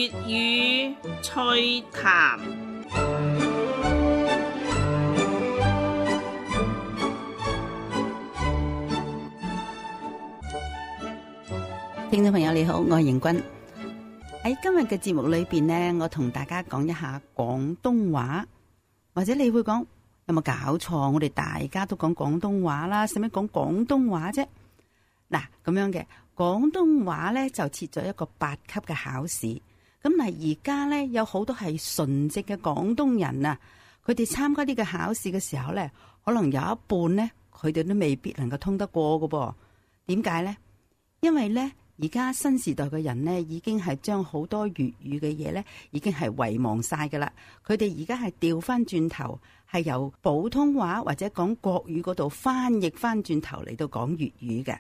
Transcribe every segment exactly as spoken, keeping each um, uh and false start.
粵語趣談。聽眾朋友你好，我係盈君。喺今日嘅節目裏邊呢，我同大家講一下廣東話，或者你會講有冇搞錯？我哋大家都講廣東話啦，使乜講廣東話啫？嗱，咁樣嘅廣東話呢，就設咗一個八級嘅考試。咁嗱，而家呢，有好多係純正嘅廣東人啊，佢哋參加呢個考試嘅時候呢，可能有一半呢，佢哋都未必能夠通得過㗎噃。點解呢？因為呢，而家新時代嘅人呢，已經係將好多粵語嘅嘢呢，已經係遺忘晒噶啦。佢哋而家係調翻轉頭，係由普通話或者講國語嗰度翻譯翻轉頭嚟到講粵語嘅。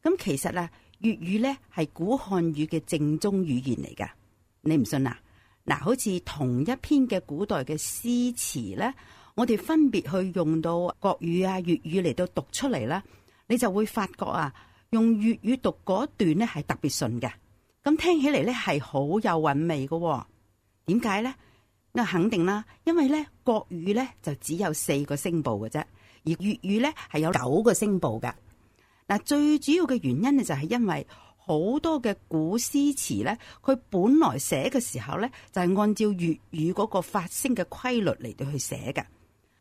咁其實啊，粵語呢係古漢語嘅正宗語言嚟噶。你唔信啊？嗱，好似同一篇嘅古代嘅詩詞呢，我哋分別去用到國語啊、粵語嚟到讀出嚟啦，你就會發覺啊，用粵語讀嗰段呢係特別順嘅，咁聽起嚟呢係好有韻味嘅。點解呢？我肯定啦，因為呢國語呢就只有四個聲部嘅啫，而粵語呢係有九個聲部噶。嗱，最主要嘅原因呢就係因為好多嘅古詩詞呢，佢本來寫嘅時候呢，就係按照粵語嗰個發聲嘅規律嚟到去寫嘅。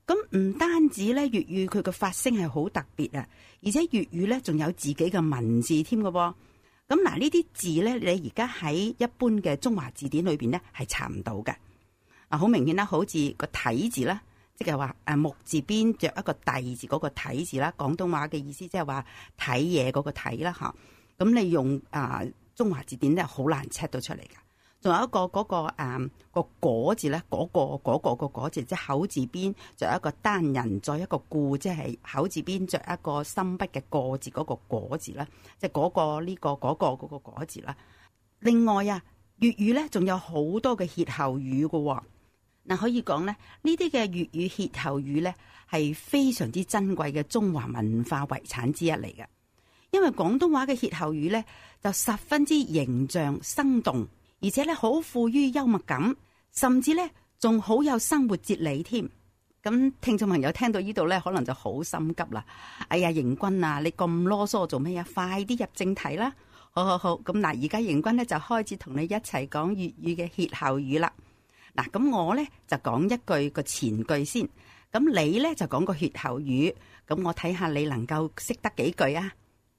咁唔單止咧，粵語佢嘅發聲係好特別啊，而且粵語咧仲有自己嘅文字添嘅噃。咁嗱，呢啲字咧，你而家喺一般嘅中華字典裏邊咧係查唔到嘅。啊，好明顯啦，好似個體字啦，即係話誒木字邊着一個弟字嗰個體字啦，廣東話嘅意思即係話睇嘢嗰個睇啦吓。咁你用啊中華字典咧好難 check 到出嚟噶。仲有一個嗰、那個誒、嗯那個果字咧，嗰、那個嗰、那個、那個果字，即係口字邊着一個單人，再一個固，即係口字邊着一個深筆嘅過字，嗰、那個果字啦，即係嗰個呢、這個嗰、那個嗰、那個果字啦。另外啊，粵語咧仲有好多嘅歇後語噶，嗱可以講咧，呢啲嘅粵語歇後語咧係非常之珍貴嘅中華文化遺產之一嚟嘅。因為廣東話嘅歇後語咧就十分之形象生動。而且咧好富於幽默感，甚至咧仲好有生活哲理添。咁聽眾朋友聽到呢度咧，可能就好心急啦。哎呀，盈君啊，你咁囉嗦做咩啊？快啲入正題啦！好好好，咁嗱，而家盈君咧就開始同你一齊講粵語嘅歇後語啦。嗱，咁我咧就講一句個前句先，咁你咧就講個歇後語，咁我睇下你能夠識得幾句啊？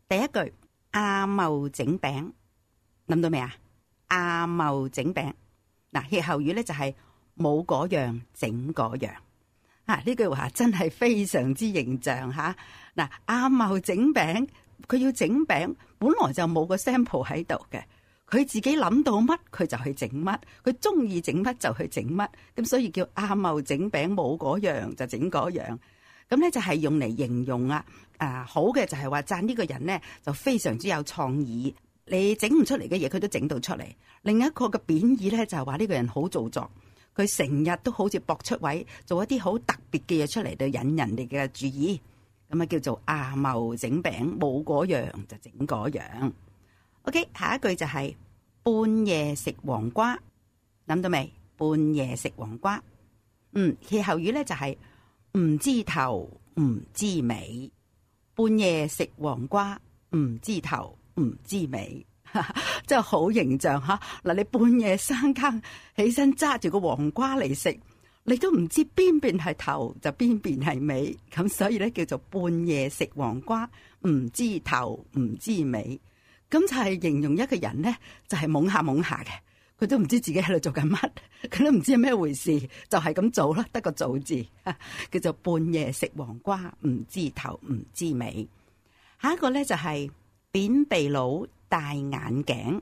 第一句，阿茂整餅，諗到未啊？阿茂整餅，嗱歇後語咧就係冇嗰樣整嗰樣，啊呢句話真係非常之形象吓。嗱阿茂整餅，佢要整餅，本來就冇個 sample 喺度嘅，佢自己諗到乜佢就去整乜，佢中意整乜就去整乜，咁所以叫阿茂整餅，冇嗰樣就整嗰樣。咁咧就係用嚟形容啊，啊好嘅就係話讚呢個人咧就非常之有創意。你整唔出嚟嘅嘢，佢都整到出嚟。另一個嘅貶義咧，就係話呢個人好做作，佢成日都好似搏出位，做一啲好特別嘅嘢出嚟，對引人哋嘅注意。咁啊叫做阿茂整餅，冇嗰樣就整嗰樣。OK， 下一句就係、是、半夜食黃瓜，諗到未？半夜食黃瓜，嗯，歇後語咧就係、是、唔知頭唔知尾。半夜食黃瓜，唔知頭唔知尾，真係好形象吓。嗱，你半夜三更起身揸住個黃瓜嚟食，你都唔知邊邊係頭就邊邊係尾，咁所以咧叫做半夜食黃瓜，唔知頭唔知尾。咁就係形容一個人咧，就係、是、懵下懵下嘅，佢都唔知自己喺度做緊乜，佢都唔知係咩回事，就係咁做啦，得個做字，叫做半夜食黃瓜，唔知頭唔知尾。下一個咧就係、是。扁鼻佬戴眼鏡，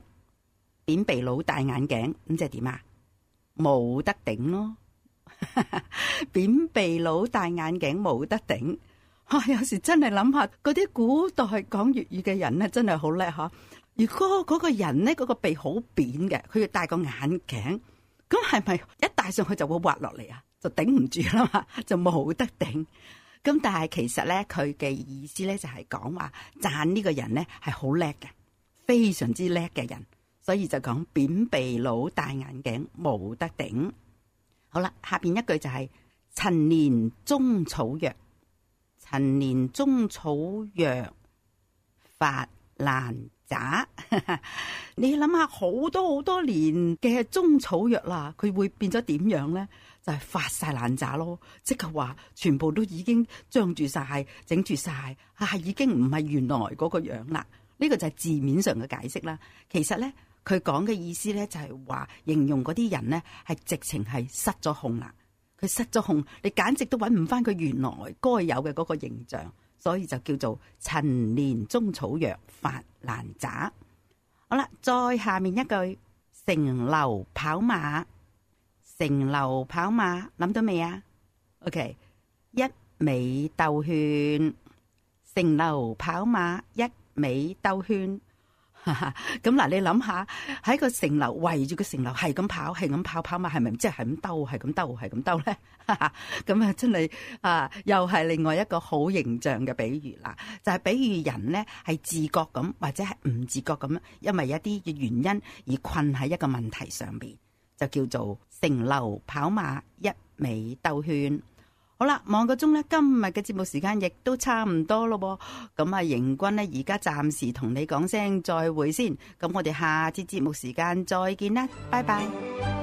扁鼻佬戴眼鏡，咁即係點啊？冇得頂咯！扁鼻佬戴眼鏡冇得頂，啊！有時真係諗下，嗰啲古代講粵語嘅人咧，真係好叻吓。如果嗰個人咧，嗰個鼻好扁嘅，佢要戴個眼鏡，咁係咪一戴上去就會滑落嚟啊？就頂唔住啦嘛，就冇得頂。咁但係其實咧，佢嘅意思咧就係講話讚呢個人咧係好叻嘅，非常之叻嘅人，所以就講扁鼻佬戴眼鏡冇得頂。好啦，下邊一句就係、是、陳年中草藥，陳年中草藥發爛渣。你諗下，好多好多年嘅中草藥啦，佢會變咗點樣呢？就係、是、發晒爛渣咯，即係話全部都已經張住晒、整住晒，啊，已經唔係原來嗰個樣啦。呢、這個就係字面上嘅解釋啦。其實呢，佢講嘅意思呢，就係話形容嗰啲人呢，係直情係失咗控啦。佢失咗控，你簡直都揾唔翻佢原來該有嘅嗰個形象，所以就叫做陳年中草藥發爛渣。好啦，再下面一句，城樓跑馬，城樓跑馬諗到未啊 ？OK， 一味兜圈，城樓跑馬一味兜圈。咁嗱，你諗下喺個城樓圍住個城樓係咁跑，係咁跑跑馬，係咪即係係咁兜，係咁兜，係咁兜咧？咁啊，真係啊，又係另外一個好形象嘅比喻啦。就係、是、比喻人咧係自覺咁，或者係唔自覺咁，因為一啲嘅原因而困喺一個問題上邊，就叫做城樓跑馬一味兜圈。好啦，望個鐘咧，今日嘅節目時間亦都差唔多咯噃。咁啊，邢君咧而家暫時同你講聲再會先。咁我哋下次節目時間再見啦，拜拜。